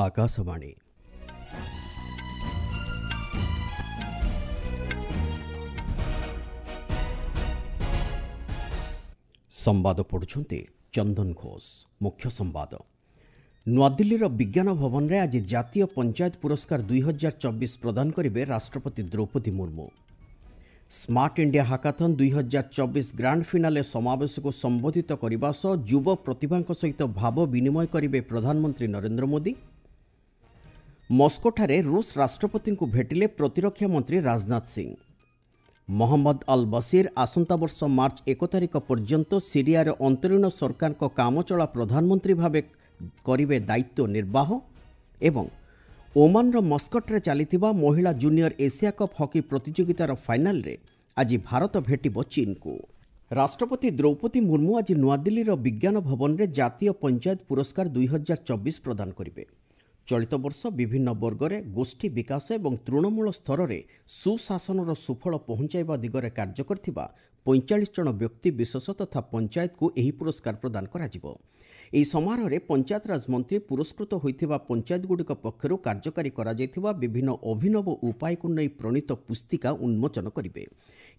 ଆକାଶବାଣୀ। ସମ୍ବାଦ ପଢ଼ୁଛନ୍ତି ଚନ୍ଦନ ଘୋଷ। ମୁଖ୍ୟ ସମ୍ବାଦ। ନୂଆଦିଲ୍ଲୀର ବିଜ୍ଞାନ ଭବନରେ ଆଜି ଜାତୀୟ ପଞ୍ଚାୟତ ପୁରସ୍କାର 2024 ପ୍ରଦାନ କରିବେ ରାଷ୍ଟ୍ରପତି Droupadi Murmu. Smart India hackathon 2024 grand finale ସମାବେଶକୁ ସମ୍ବୋଧିତ କରିବା ସହ ଯୁବ ପ୍ରତିଭାଙ୍କ ସହିତ ଭାବ ବିନିମୟ କରିବେ ପ୍ରଧାନମନ୍ତ୍ରୀ ନରେନ୍ଦ୍ର ମୋଦି। ମସ୍କୋଠାରେ ରୁଷ ରାଷ୍ଟ୍ରପତିଙ୍କୁ ଭେଟିଲେ ପ୍ରତିରକ୍ଷା ମନ୍ତ୍ରୀ ରାଜନାଥ ସିଂ। ମହମ୍ମଦ ଅଲ୍ ବସିର ଆସନ୍ତା ବର୍ଷ ମାର୍ଚ୍ଚ 1 ତାରିଖ ପର୍ଯ୍ୟନ୍ତ ସିରିଆର ଅନ୍ତରୀଣ ସରକାରଙ୍କ କାମଚଳା ପ୍ରଧାନମନ୍ତ୍ରୀ ଭାବେ କରିବେ ଦାୟିତ୍ୱ ନିର୍ବାହ। ଏବଂ ଓମାନର ମସ୍କଟରେ ଚାଲିଥିବା ମହିଳା ଜୁନିୟର ଏସିଆ କପ୍ ହକି ପ୍ରତିଯୋଗିତାର ଫାଇନାଲରେ ଆଜି ଭାରତ ଭେଟିବ ଚୀନକୁ। ରାଷ୍ଟ୍ରପତି ଦ୍ରୌପଦୀ ମୁର୍ମୁ ଆଜି ନୂଆଦିଲ୍ଲୀର ବିଜ୍ଞାନ ଭବନରେ ଜାତୀୟ ପଞ୍ଚାୟତ ପୁରସ୍କାର 2024 ପ୍ରଦାନ କରିବେ। ଚଳିତ ବର୍ଷ ବିଭିନ୍ନ ବର୍ଗରେ ଗୋଷ୍ଠୀ ବିକାଶ ଏବଂ ତୃଣମୂଳ ସ୍ତରରେ ସୁଶାସନର ସୁଫଳ ପହଞ୍ଚାଇବା ଦିଗରେ କାର୍ଯ୍ୟ କରିଥିବା 45 ଜଣ ବ୍ୟକ୍ତି ବିଶେଷ ତଥା ପଞ୍ଚାୟତକୁ ଏହି ପୁରସ୍କାର ପ୍ରଦାନ କରାଯିବ। ଏହି ସମାରୋହରେ ପଞ୍ଚାୟତରାଜ ମନ୍ତ୍ରୀ ପୁରସ୍କୃତ ହୋଇଥିବା ପଞ୍ଚାୟତଗୁଡ଼ିକ ପକ୍ଷରୁ କାର୍ଯ୍ୟକାରୀ କରାଯାଇଥିବା ବିଭିନ୍ନ ଅଭିନବ ଉପାୟକୁ ନେଇ ପ୍ରଣୀତ ପୁସ୍ତିକା ଉନ୍ମୋଚନ କରିବେ।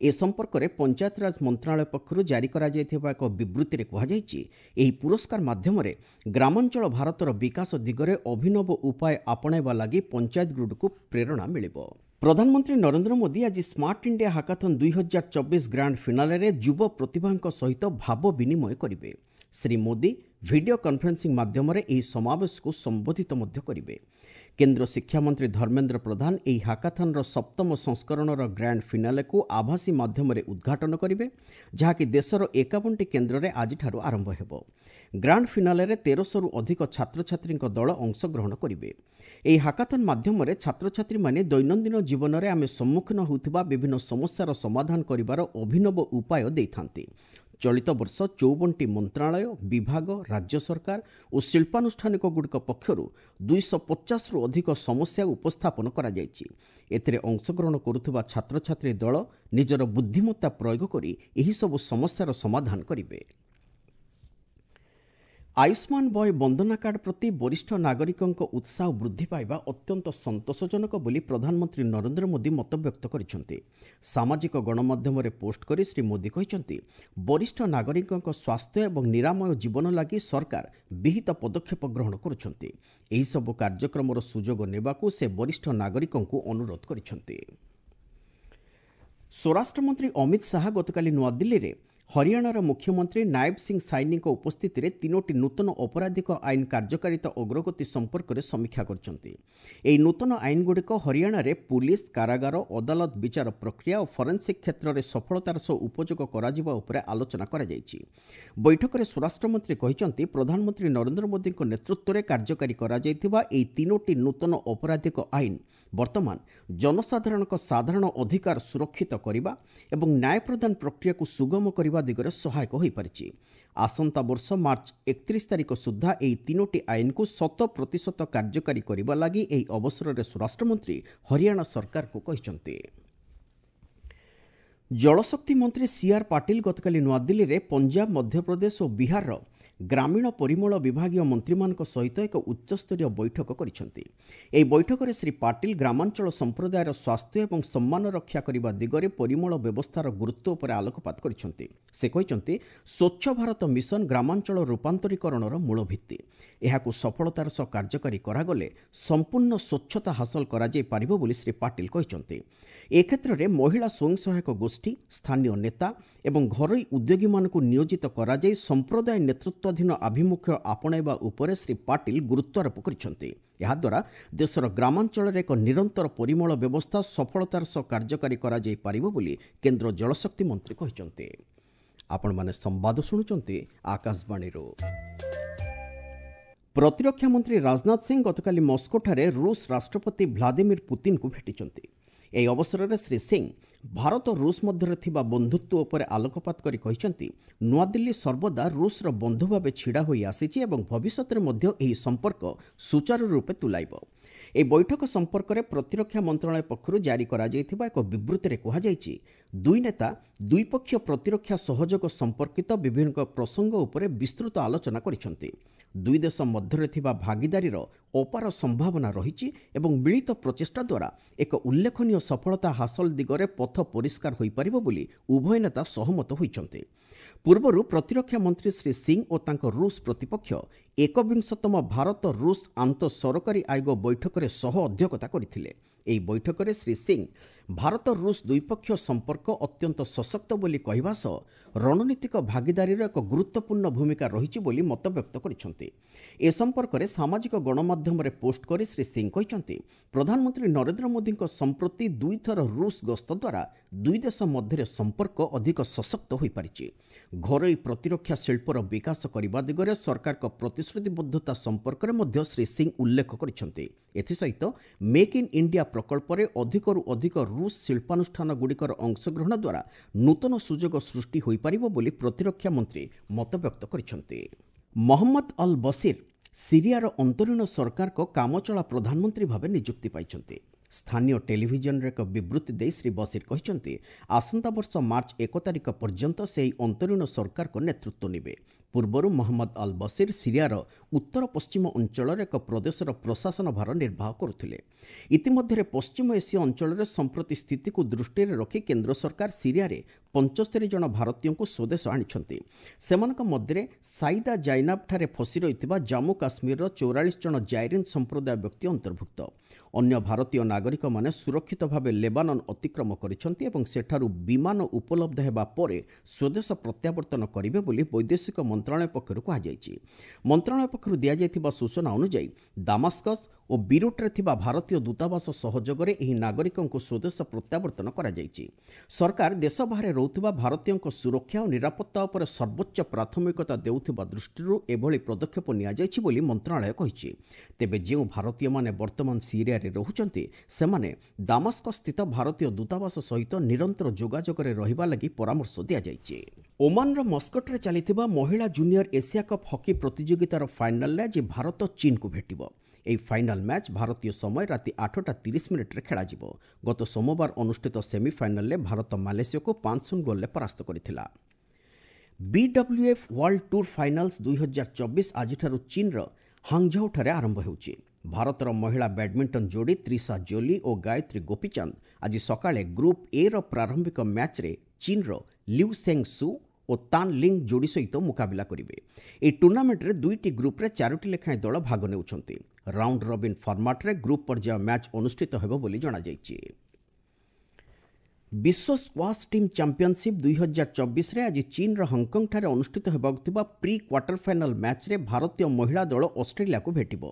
ଏ ସମ୍ପର୍କରେ ପଞ୍ଚାୟତରାଜ ମନ୍ତ୍ରଣାଳୟ ପକ୍ଷରୁ ଜାରି କରାଯାଇଥିବା ଏକ ବିବୃତ୍ତିରେ କୁହାଯାଇଛି, ଏହି ପୁରସ୍କାର ମାଧ୍ୟମରେ ଗ୍ରାମାଞ୍ଚଳ ଭାରତର ବିକାଶ ଦିଗରେ ଅଭିନବ ଉପାୟ ଆପଣାଇବା ଲାଗି ପଞ୍ଚାୟତଗୁଡ଼ିକୁ ପ୍ରେରଣା ମିଳିବ। ପ୍ରଧାନମନ୍ତ୍ରୀ ନରେନ୍ଦ୍ର ମୋଦି ଆଜି ସ୍ମାର୍ଟ ଇଣ୍ଡିଆ ହାକାଥନ୍ 2024 ଗ୍ରାଣ୍ଡ ଫିନାଲେରେ ଯୁବ ପ୍ରତିଭାଙ୍କ ସହିତ ଭାବ ବିନିମୟ କରିବେ। ଶ୍ରୀ ମୋଦି ଭିଡିଓ କନଫରେନ୍ସିଂ ମାଧ୍ୟମରେ ଏହି ସମାବେଶକୁ ସମ୍ବୋଧିତ ମଧ୍ୟ କରିବେ। କେନ୍ଦ୍ର ଶିକ୍ଷାମନ୍ତ୍ରୀ ଧର୍ମେନ୍ଦ୍ର ପ୍ରଧାନ ଏହି ହାକାଥନ୍ର ସପ୍ତମ ସଂସ୍କରଣର ଗ୍ରାଣ୍ଡ ଫିନାଲେକୁ ଆଭାସୀ ମାଧ୍ୟମରେ ଉଦ୍ଘାଟନ କରିବେ, ଯାହାକି ଦେଶର 51ଟି କେନ୍ଦ୍ରରେ ଆଜିଠାରୁ ଆରମ୍ଭ ହେବ। ଗ୍ରାଣ୍ଡ ଫିନାଲେରେ 1300ରୁ ଅଧିକ ଛାତ୍ରଛାତ୍ରୀଙ୍କ ଦଳ ଅଂଶଗ୍ରହଣ କରିବେ। ଏହି ହାକାଥନ୍ ମାଧ୍ୟମରେ ଛାତ୍ରଛାତ୍ରୀମାନେ ଦୈନନ୍ଦିନ ଜୀବନରେ ଆମେ ସମ୍ମୁଖୀନ ହେଉଥିବା ବିଭିନ୍ନ ସମସ୍ୟାର ସମାଧାନ କରିବାର ଅଭିନବ ଉପାୟ ଦେଇଥାନ୍ତି। ଚଳିତ ବର୍ଷ 54ଟି ମନ୍ତ୍ରଣାଳୟ, ବିଭାଗ, ରାଜ୍ୟ ସରକାର ଓ ଶିଳ୍ପାନୁଷ୍ଠାନିକଗୁଡ଼ିକ ପକ୍ଷରୁ 250ରୁ ଅଧିକ ସମସ୍ୟା ଉପସ୍ଥାପନ କରାଯାଇଛି। ଏଥିରେ ଅଂଶଗ୍ରହଣ କରୁଥିବା ଛାତ୍ରଛାତ୍ରୀ ଦଳ ନିଜର ବୁଦ୍ଧିମତ୍ତା ପ୍ରୟୋଗ କରି ଏହିସବୁ ସମସ୍ୟାର ସମାଧାନ କରିବେ। ଆୟୁଷ୍ମାନ ବୟ ବନ୍ଦନା କାର୍ଡ ପ୍ରତି ବରିଷ୍ଠ ନାଗରିକଙ୍କ ଉତ୍ସାହ ବୃଦ୍ଧି ପାଇବା ଅତ୍ୟନ୍ତ ସନ୍ତୋଷଜନକ ବୋଲି ପ୍ରଧାନମନ୍ତ୍ରୀ ନରେନ୍ଦ୍ର ମୋଦି ମତବ୍ୟକ୍ତ କରିଛନ୍ତି। ସାମାଜିକ ଗଣମାଧ୍ୟମରେ ପୋଷ୍ଟ କରି ଶ୍ରୀ ମୋଦି କହିଛନ୍ତି, ବରିଷ୍ଠ ନାଗରିକଙ୍କ ସ୍ୱାସ୍ଥ୍ୟ ଏବଂ ନିରାମୟ ଜୀବନ ଲାଗି ସରକାର ବିହିତ ପଦକ୍ଷେପ ଗ୍ରହଣ କରୁଛନ୍ତି। ଏହିସବୁ କାର୍ଯ୍ୟକ୍ରମର ସୁଯୋଗ ନେବାକୁ ସେ ବରିଷ୍ଠ ନାଗରିକଙ୍କୁ ଅନୁରୋଧ କରିଛନ୍ତି। ସ୍ୱରାଷ୍ଟ୍ରମନ୍ତ୍ରୀ ଅମିତ ଶାହା ଗତକାଲି ନୂଆଦିଲ୍ଲୀରେ ହରିୟାଣାର ମୁଖ୍ୟମନ୍ତ୍ରୀ ନାୟବ ସିଂ ସାଇନିଙ୍କ ଉପସ୍ଥିତିରେ 3ଟି ନୂତନ ଅପରାଧିକ ଆଇନ କାର୍ଯ୍ୟକାରିତା ଅଗ୍ରଗତି ସମ୍ପର୍କରେ ସମୀକ୍ଷା କରିଛନ୍ତି। ଏହି ନୂତନ ଆଇନଗୁଡ଼ିକ ହରିୟାଣାରେ ପୁଲିସ, କାରାଗାର, ଅଦାଲତ ବିଚାର ପ୍ରକ୍ରିୟା ଓ ଫରେନ୍ସିକ୍ କ୍ଷେତ୍ରରେ ସଫଳତାର ସହ ଉପଯୋଗ କରାଯିବା ଉପରେ ଆଲୋଚନା କରାଯାଇଛି। ବୈଠକରେ ସ୍ୱରାଷ୍ଟ୍ରମନ୍ତ୍ରୀ କହିଛନ୍ତି, ପ୍ରଧାନମନ୍ତ୍ରୀ ନରେନ୍ଦ୍ର ମୋଦିଙ୍କ ନେତୃତ୍ୱରେ କାର୍ଯ୍ୟକାରୀ କରାଯାଇଥିବା ଏହି 3ଟି ନୂତନ ଅପରାଧିକ ଆଇନ ବର୍ତ୍ତମାନ ଜନସାଧାରଣଙ୍କ ସାଧାରଣ ଅଧିକାର ସୁରକ୍ଷିତ କରିବା ଏବଂ ନ୍ୟାୟ ପ୍ରଦାନ ପ୍ରକ୍ରିୟାକୁ ସୁଗମ କରିବା ଦିଗରେ ସହାୟକ ହୋଇପାରିଛି। ଆସନ୍ତା ବର୍ଷ ମାର୍ଚ୍ଚ 31 ତାରିଖ ସୁଦ୍ଧା ଏହି 3ଟି ଆଇନକୁ 100% କାର୍ଯ୍ୟକାରୀ କରିବା ଲାଗି ଏହି ଅବସରରେ ସ୍ୱରାଷ୍ଟ୍ରମନ୍ତ୍ରୀ ହରିୟାଣା ସରକାରଙ୍କୁ କହିଛନ୍ତି। ଜଳଶକ୍ତି ମନ୍ତ୍ରୀ ସିଆର୍ ପାଟିଲ ଗତକାଲି ନୂଆଦିଲ୍ଲୀରେ ପଞ୍ଜାବ, ମଧ୍ୟପ୍ରଦେଶ ଓ ବିହାରର ଗ୍ରାମୀଣ ପରିମଳ ବିଭାଗୀୟ ମନ୍ତ୍ରୀମାନଙ୍କ ସହିତ ଏକ ଉଚ୍ଚସ୍ତରୀୟ ବୈଠକ କରିଛନ୍ତି। ଏହି ବୈଠକରେ ଶ୍ରୀ ପାଟିଲ ଗ୍ରାମାଞ୍ଚଳ ସମ୍ପ୍ରଦାୟର ସ୍ୱାସ୍ଥ୍ୟ ଏବଂ ସମ୍ମାନ ରକ୍ଷା କରିବା ଦିଗରେ ପରିମଳ ବ୍ୟବସ୍ଥାର ଗୁରୁତ୍ୱ ଉପରେ ଆଲୋକପାତ କରିଛନ୍ତି। ସେ କହିଛନ୍ତି, ସ୍ୱଚ୍ଛ ଭାରତ ମିଶନ ଗ୍ରାମାଞ୍ଚଳ ରୂପାନ୍ତରୀକରଣର ମୂଳ ଭିତ୍ତି। ଏହାକୁ ସଫଳତାର ସହ କାର୍ଯ୍ୟକାରୀ କରାଗଲେ ସମ୍ପୂର୍ଣ୍ଣ ସ୍ୱଚ୍ଛତା ହାସଲ କରାଯାଇପାରିବ ବୋଲି ଶ୍ରୀ ପାଟିଲ କହିଛନ୍ତି। ଏ କ୍ଷେତ୍ରରେ ମହିଳା ସ୍ୱୟଂ ସହାୟକ ଗୋଷ୍ଠୀ, ସ୍ଥାନୀୟ ନେତା ଏବଂ ଘରୋଇ ଉଦ୍ୟୋଗୀମାନଙ୍କୁ ନିୟୋଜିତ କରାଯାଇ ସମ୍ପ୍ରଦାୟ ନେତୃତ୍ୱାଧୀନ ଆଭିମୁଖ୍ୟ ଆପଣାଇବା ଉପରେ ଶ୍ରୀ ପାଟିଲ ଗୁରୁତ୍ୱାରୋପ କରିଛନ୍ତି। ଏହାଦ୍ୱାରା ଦେଶର ଗ୍ରାମାଞ୍ଚଳରେ ଏକ ନିରନ୍ତର ପରିମଳ ବ୍ୟବସ୍ଥା ସଫଳତାର ସହ କାର୍ଯ୍ୟକାରୀ କରାଯାଇପାରିବ ବୋଲି କେନ୍ଦ୍ର ଜଳଶକ୍ତି ମନ୍ତ୍ରୀ କହିଛନ୍ତି। ଆପଣମାନେ ସମ୍ବାଦ ଶୁଣୁଛନ୍ତି ଆକାଶବାଣୀରୁ। ପ୍ରତିରକ୍ଷା ମନ୍ତ୍ରୀ ରାଜନାଥ ସିଂ ଗତକାଲି ମସ୍କୋଠାରେ ରୁଷ ରାଷ୍ଟ୍ରପତି ଭ୍ଲାଦିମିର ପୁତିନଙ୍କୁ ଭେଟିଛନ୍ତି। ଏହି ଅବସରରେ ଶ୍ରୀ ସିଂ ଭାରତ ରୁଷ ମଧ୍ୟରେ ଥିବା ବନ୍ଧୁତ୍ୱ ଉପରେ ଆଲୋକପାତ କରି କହିଛନ୍ତି, ନୂଆଦିଲ୍ଲୀ ସର୍ବଦା ରୁଷର ବନ୍ଧୁ ଭାବେ ଛିଡ଼ା ହୋଇ ଆସିଛି ଏବଂ ଭବିଷ୍ୟତରେ ମଧ୍ୟ ଏହି ସମ୍ପର୍କ ସୁଚାରୁ ରୂପେ ତୁଲାଇବ। ଏହି ବୈଠକ ସମ୍ପର୍କରେ ପ୍ରତିରକ୍ଷା ମନ୍ତ୍ରଣାଳୟ ପକ୍ଷରୁ ଜାରି କରାଯାଇଥିବା ଏକ ବିବୃତ୍ତିରେ କୁହାଯାଇଛି, ଦୁଇ ନେତା ଦ୍ୱିପକ୍ଷୀୟ ପ୍ରତିରକ୍ଷା ସହଯୋଗ ସମ୍ପର୍କିତ ବିଭିନ୍ନ ପ୍ରସଙ୍ଗ ଉପରେ ବିସ୍ତୃତ ଆଲୋଚନା କରିଛନ୍ତି। ଦୁଇ ଦେଶ ମଧ୍ୟରେ ଥିବା ଭାଗିଦାରୀର ଅପାର ସମ୍ଭାବନା ରହିଛି ଏବଂ ମିଳିତ ପ୍ରଚେଷ୍ଟା ଦ୍ୱାରା ଏକ ଉଲ୍ଲେଖନୀୟ ସଫଳତା ହାସଲ ଦିଗରେ ପଥ ପରିଷ୍କାର ହୋଇପାରିବ ବୋଲି ଉଭୟ ନେତା ସହମତ ହୋଇଛନ୍ତି। ପୂର୍ବରୁ ପ୍ରତିରକ୍ଷା ମନ୍ତ୍ରୀ ଶ୍ରୀ ସିଂ ଓ ତାଙ୍କ ରୁଷ ପ୍ରତିପକ୍ଷ ଏକବିଂଶତମ ଭାରତ ରୁଷ ଆନ୍ତଃ ସରକାରୀ ଆୟୋଗ ବୈଠକରେ ସହ ଅଧ୍ୟକ୍ଷତା କରିଥିଲେ। ଏହି ବୈଠକରେ ଶ୍ରୀ ସିଂ ଭାରତ ରୁଷ ଦ୍ୱିପକ୍ଷୀୟ ସମ୍ପର୍କ ଅତ୍ୟନ୍ତ ସଶକ୍ତ ବୋଲି କହିବା ସହ ରଣନୀତିକ ଭାଗିଦାରୀର ଏକ ଗୁରୁତ୍ୱପୂର୍ଣ୍ଣ ଭୂମିକା ରହିଛି ବୋଲି ମତବ୍ୟକ୍ତ କରିଛନ୍ତି। ଏ ସମ୍ପର୍କରେ ସାମାଜିକ ଗଣମାଧ୍ୟମରେ ପୋଷ୍ଟ କରି ଶ୍ରୀ ସିଂ କହିଛନ୍ତି, ପ୍ରଧାନମନ୍ତ୍ରୀ ନରେନ୍ଦ୍ର ମୋଦିଙ୍କ ସମ୍ପ୍ରତି ଦୁଇଥର ରୁଷ ଗସ୍ତ ଦ୍ୱାରା ଦୁଇ ଦେଶ ମଧ୍ୟରେ ସମ୍ପର୍କ ଅଧିକ ସଶକ୍ତ ହୋଇପାରିଛି। ଘରୋଇ ପ୍ରତିରକ୍ଷା ଶିଳ୍ପର ବିକାଶ କରିବା ଦିଗରେ ସରକାରଙ୍କ ପ୍ରତିଶ୍ରୁତିବଦ୍ଧତା ସମ୍ପର୍କରେ ମଧ୍ୟ ଶ୍ରୀ ସିଂ ଉଲ୍ଲେଖ କରିଛନ୍ତି। ଏଥିସହିତ ମେକ୍ ଇନ୍ ଇଣ୍ଡିଆ ପ୍ରକଳ୍ପରେ ଅଧିକରୁ ଅଧିକ ରୁଷ ଶିଳ୍ପାନୁଷ୍ଠାନଗୁଡ଼ିକର ଅଂଶଗ୍ରହଣ ଦ୍ୱାରା ନୂତନ ସୁଯୋଗ ସୃଷ୍ଟି ହୋଇପାରିବ ବୋଲି ପ୍ରତିରକ୍ଷା ମନ୍ତ୍ରୀ ମତବ୍ୟକ୍ତ କରିଛନ୍ତି। ମହମ୍ମଦ ଅଲ୍ ବସିର ସିରିଆର ଅନ୍ତରୀଣ ସରକାରଙ୍କ କାମଚଳା ପ୍ରଧାନମନ୍ତ୍ରୀ ଭାବେ ନିଯୁକ୍ତି ପାଇଛନ୍ତି। ସ୍ଥାନୀୟ ଟେଲିଭିଜନରେ ଏକ ବିବୃତ୍ତି ଦେଇ ଶ୍ରୀ ବସିର କହିଛନ୍ତି, ଆସନ୍ତା ବର୍ଷ ମାର୍ଚ୍ଚ 1 ତାରିଖ ପର୍ଯ୍ୟନ୍ତ ସେ ଏହି ଅନ୍ତରୀଣ ସରକାରଙ୍କ ନେତୃତ୍ୱ ନେବେ। ପୂର୍ବରୁ ମହମ୍ମଦ ଅଲ୍ ବସିର ସିରିଆର ଉତ୍ତର ପଶ୍ଚିମ ଅଞ୍ଚଳର ଏକ ପ୍ରଦେଶର ପ୍ରଶାସନ ଭାର ନିର୍ବାହ କରୁଥିଲେ। ଇତିମଧ୍ୟରେ ପଶ୍ଚିମ ଏସୀୟ ଅଞ୍ଚଳରେ ସମ୍ପ୍ରତି ସ୍ଥିତିକୁ ଦୃଷ୍ଟିରେ ରଖି କେନ୍ଦ୍ର ସରକାର ସିରିଆରେ 75 ଜଣ ଭାରତୀୟଙ୍କୁ ସ୍ୱଦେଶ ଆଣିଛନ୍ତି। ସେମାନଙ୍କ ମଧ୍ୟରେ ସାଇଦା ଜାଇନାବଠାରେ ଫସି ରହିଥିବା ଜାମ୍ମୁ କାଶ୍ମୀରର 44 ଜଣ ଜାଇରିନ୍ ସମ୍ପ୍ରଦାୟ ବ୍ୟକ୍ତି ଅନ୍ତର୍ଭୁକ୍ତ। ଅନ୍ୟ ଭାରତୀୟ ନାଗରିକମାନେ ସୁରକ୍ଷିତ ଭାବେ ଲେବାନନ ଅତିକ୍ରମ କରିଛନ୍ତି ଏବଂ ସେଠାରୁ ବିମାନ ଉପଲବ୍ଧ ହେବା ପରେ ସ୍ୱଦେଶ ପ୍ରତ୍ୟାବର୍ତ୍ତନ କରିବେ ବୋଲି ବୈଦେଶିକ ମନ୍ତ୍ରଣାଳୟ ପକ୍ଷରୁ କୁହାଯାଇଛି। ମନ୍ତ୍ରଣାଳୟ ପକ୍ଷରୁ ଦିଆଯାଇଥିବା ସୂଚନା ଅନୁଯାୟୀ ଦାମାସ୍କସ୍ ଓ ବିରୁଟ୍ରେ ଥିବା ଭାରତୀୟ ଦୂତାବାସ ସହଯୋଗରେ ଏହି ନାଗରିକଙ୍କୁ ସ୍ୱଦେଶ ପ୍ରତ୍ୟାବର୍ତ୍ତନ କରାଯାଇଛି। ସରକାର ଦେଶ ବାହାରେ ରହୁଥିବା ଭାରତୀୟଙ୍କ ସୁରକ୍ଷା ଓ ନିରାପତ୍ତା ଉପରେ ସର୍ବୋଚ୍ଚ ପ୍ରାଥମିକତା ଦେଉଥିବା ଦୃଷ୍ଟିରୁ ଏଭଳି ପଦକ୍ଷେପ ନିଆଯାଇଛି ବୋଲି ମନ୍ତ୍ରଣାଳୟ କହିଛି। ତେବେ ଯେଉଁ ଭାରତୀୟମାନେ ବର୍ତ୍ତମାନ ସିରିଆରେ ରହୁଛନ୍ତି, ସେମାନେ ଦାମାସ୍କସ୍ ସ୍ଥିତ ଭାରତୀୟ ଦୂତାବାସ ସହିତ ନିରନ୍ତର ଯୋଗାଯୋଗରେ ରହିବା ଲାଗି ପରାମର୍ଶ ଦିଆଯାଇଛି। ଓମାନର ମସ୍କଟରେ ଚାଲିଥିବା ମହିଳା ଜୁନିୟର ଏସିଆ କପ୍ ହକି ପ୍ରତିଯୋଗିତାର ଫାଇନାଲରେ ଆଜି ଭାରତ ଚୀନକୁ ଭେଟିବ। ଏହି ଫାଇନାଲ ମ୍ୟାଚ୍ ଭାରତୀୟ ସମୟ ରାତି 8:30 ଖେଳାଯିବ। ଗତ ସୋମବାର ଅନୁଷ୍ଠିତ ସେମିଫାଇନାଲରେ ଭାରତ ମାଲେସିଆକୁ 5-0 ଗୋଲରେ ପରାସ୍ତ କରିଥିଲା। ବିଡବ୍ଲ୍ୟୁଏଫ୍ ୱାର୍ଲଡ ଟୁର୍ ଫାଇନାଲ୍ସ 2024 ଆଜିଠାରୁ ଚୀନର ହାଙ୍ଗଝାଉଠାରେ ଆରମ୍ଭ ହେଉଛି। ଭାରତର ମହିଳା ବ୍ୟାଡମିଣ୍ଟନ ଯୋଡ଼ି ତ୍ରିଷା ଜୋଲି ଓ ଗାୟତ୍ରୀ ଗୋପୀଚାନ୍ଦ ଆଜି ସକାଳେ ଗ୍ରୁପ୍ ଏର ପ୍ରାରମ୍ଭିକ ମ୍ୟାଚ୍ରେ ଚୀନର ଲିଉ ସେଙ୍ଗ ସୁ ଓ ତାନ୍ ଲିଙ୍ଗ ଯୋଡ଼ି ସହିତ ମୁକାବିଲା କରିବେ। ଏହି ଟୁର୍ଣ୍ଣାମେଣ୍ଟରେ 2ଟି ଗ୍ରୁପ୍ରେ 4ଟି ଲେଖାଏଁ ଦଳ ଭାଗ ନେଉଛନ୍ତି। ରାଉଣ୍ଡ ରବିନ୍ ଫର୍ମାଟ୍ରେ ଗ୍ରୁପ୍ ପର୍ଯ୍ୟାୟ ମ୍ୟାଚ୍ ଅନୁଷ୍ଠିତ ହେବ ବୋଲି ଜଣାଯାଇଛି। ବିଶ୍ୱ ସ୍କ୍ୱାସ୍ ଟିମ୍ ଚାମ୍ପିଅନସିପ୍ 2024ରେ ଆଜି ଚୀନର ହଂକଂଠାରେ ଅନୁଷ୍ଠିତ ହେବାକୁ ଥିବା ପ୍ରି କ୍ୱାର୍ଟର ଫାଇନାଲ ମ୍ୟାଚ୍ରେ ଭାରତୀୟ ମହିଳା ଦଳ ଅଷ୍ଟ୍ରେଲିଆକୁ ଭେଟିବ।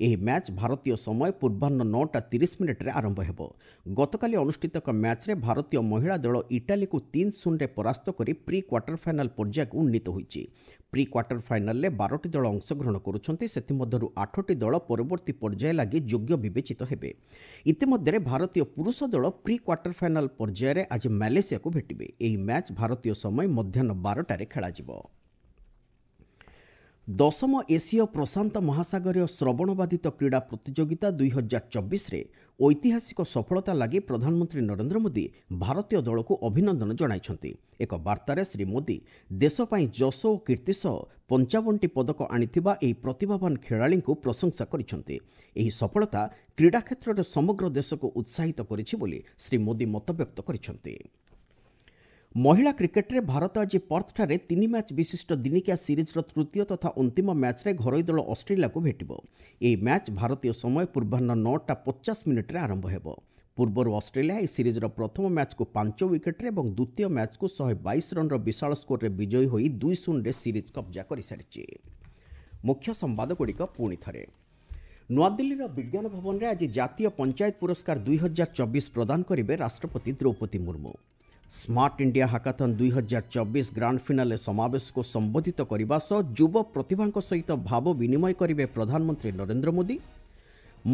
ଏହି ମ୍ୟାଚ୍ ଭାରତୀୟ ସମୟ ପୂର୍ବାହ୍ନ 9:30 ଆରମ୍ଭ ହେବ। ଗତକାଲି ଅନୁଷ୍ଠିତ ଏକ ମ୍ୟାଚ୍ରେ ଭାରତୀୟ ମହିଳା ଦଳ ଇଟାଲୀକୁ 3-0ରେ ପରାସ୍ତ କରି ପ୍ରି କ୍ୱାର୍ଟର ଫାଇନାଲ ପର୍ଯ୍ୟାୟକୁ ଉନ୍ନୀତ ହୋଇଛି। ପ୍ରି କ୍ୱାର୍ଟର ଫାଇନାଲରେ 12ଟି ଦଳ ଅଂଶଗ୍ରହଣ କରୁଛନ୍ତି। ସେଥିମଧ୍ୟରୁ 8ଟି ଦଳ ପରବର୍ତ୍ତୀ ପର୍ଯ୍ୟାୟ ଲାଗି ଯୋଗ୍ୟ ବିବେଚିତ ହେବେ। ଇତିମଧ୍ୟରେ ଭାରତୀୟ ପୁରୁଷ ଦଳ ପ୍ରି କ୍ୱାର୍ଟର ଫାଇନାଲ ପର୍ଯ୍ୟାୟରେ ଆଜି ମାଲେସିଆକୁ ଭେଟିବେ। ଏହି ମ୍ୟାଚ୍ ଭାରତୀୟ ସମୟ ମଧ୍ୟାହ୍ନ 12ଟାରେ ଖେଳାଯିବ। ଦଶମ ଏସୀୟ ପ୍ରଶାନ୍ତ ମହାସାଗରୀୟ ଶ୍ରବଣବାଧିତ କ୍ରୀଡ଼ା ପ୍ରତିଯୋଗିତା 2024ରେ ଐତିହାସିକ ସଫଳତା ଲାଗି ପ୍ରଧାନମନ୍ତ୍ରୀ ନରେନ୍ଦ୍ର ମୋଦି ଭାରତୀୟ ଦଳକୁ ଅଭିନନ୍ଦନ ଜଣାଇଛନ୍ତି। ଏକ ବାର୍ତ୍ତାରେ ଶ୍ରୀ ମୋଦି ଦେଶ ପାଇଁ ଯଶ ଓ କୀର୍ତ୍ତି ସହ 55ଟି ପଦକ ଆଣିଥିବା ଏହି ପ୍ରତିଭାବାନ ଖେଳାଳିଙ୍କୁ ପ୍ରଶଂସା କରିଛନ୍ତି। ଏହି ସଫଳତା କ୍ରୀଡ଼ା କ୍ଷେତ୍ରରେ ସମଗ୍ର ଦେଶକୁ ଉତ୍ସାହିତ କରିଛି ବୋଲି ଶ୍ରୀ ମୋଦି ମତବ୍ୟକ୍ତ କରିଛନ୍ତି। ମହିଳା କ୍ରିକେଟରେ ଭାରତ ଆଜି ପର୍ଥଠାରେ 3 ମ୍ୟାଚ୍ ବିଶିଷ୍ଟ ଦିନିକିଆ ସିରିଜ୍ର ତୃତୀୟ ତଥା ଅନ୍ତିମ ମ୍ୟାଚ୍ରେ ଘରୋଇ ଦଳ ଅଷ୍ଟ୍ରେଲିଆକୁ ଭେଟିବ। ଏହି ମ୍ୟାଚ୍ ଭାରତୀୟ ସମୟ ପୂର୍ବାହ୍ନ 9:50 ଆରମ୍ଭ ହେବ। ପୂର୍ବରୁ ଅଷ୍ଟ୍ରେଲିଆ ଏହି ସିରିଜ୍ର ପ୍ରଥମ ମ୍ୟାଚ୍କୁ 5 ୱିକେଟ୍ରେ ଏବଂ ଦ୍ୱିତୀୟ ମ୍ୟାଚ୍କୁ 122 ରନ୍ର ବିଶାଳ ସ୍କୋରରେ ବିଜୟୀ ହୋଇ 2-0ରେ ସିରିଜ୍ କବ୍ଜା କରିସାରିଛି। ମୁଖ୍ୟ ସମ୍ବାଦଗୁଡ଼ିକ ପୁଣି ଥରେ। ନୂଆଦିଲ୍ଲୀର ବିଜ୍ଞାନ ଭବନରେ ଆଜି ଜାତୀୟ ପଞ୍ଚାୟତ ପୁରସ୍କାର 2024 ପ୍ରଦାନ କରିବେ ରାଷ୍ଟ୍ରପତି Droupadi Murmu. Smart India hackathon 2024 grand finale ସମାବେଶକୁ ସମ୍ବୋଧିତ କରିବା ସହ ଯୁବ ପ୍ରତିଭାଙ୍କ ସହିତ ଭାବ ବିନିମୟ କରିବେ ପ୍ରଧାନମନ୍ତ୍ରୀ ନରେନ୍ଦ୍ର ମୋଦି।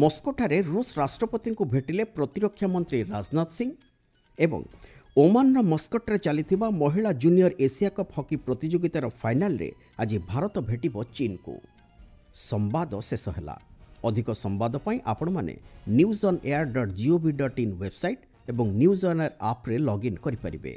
ମସ୍କୋଠାରେ ରୁଷ ରାଷ୍ଟ୍ରପତିଙ୍କୁ ଭେଟିଲେ ପ୍ରତିରକ୍ଷା ମନ୍ତ୍ରୀ ରାଜନାଥ ସିଂ ଏବଂ ଓମାନର ମସ୍କଟରେ ଚାଲିଥିବା ମହିଳା ଜୁନିୟର ଏସିଆ କପ୍ ହକି ପ୍ରତିଯୋଗିତାର ଫାଇନାଲରେ ଆଜି ଭାରତ ଭେଟିବ ଚୀନକୁ। ସମ୍ବାଦ ଶେଷ ହେଲା। ଅଧିକ ସମ୍ବାଦ ପାଇଁ ଆପଣମାନେ newsonair.gov.in website ଏବଂ ନ୍ୟୁଜ୍ ଅନ୍ ଏୟାର ଆପ୍ରେ ଲଗ୍ଇନ୍ କରିପାରିବେ।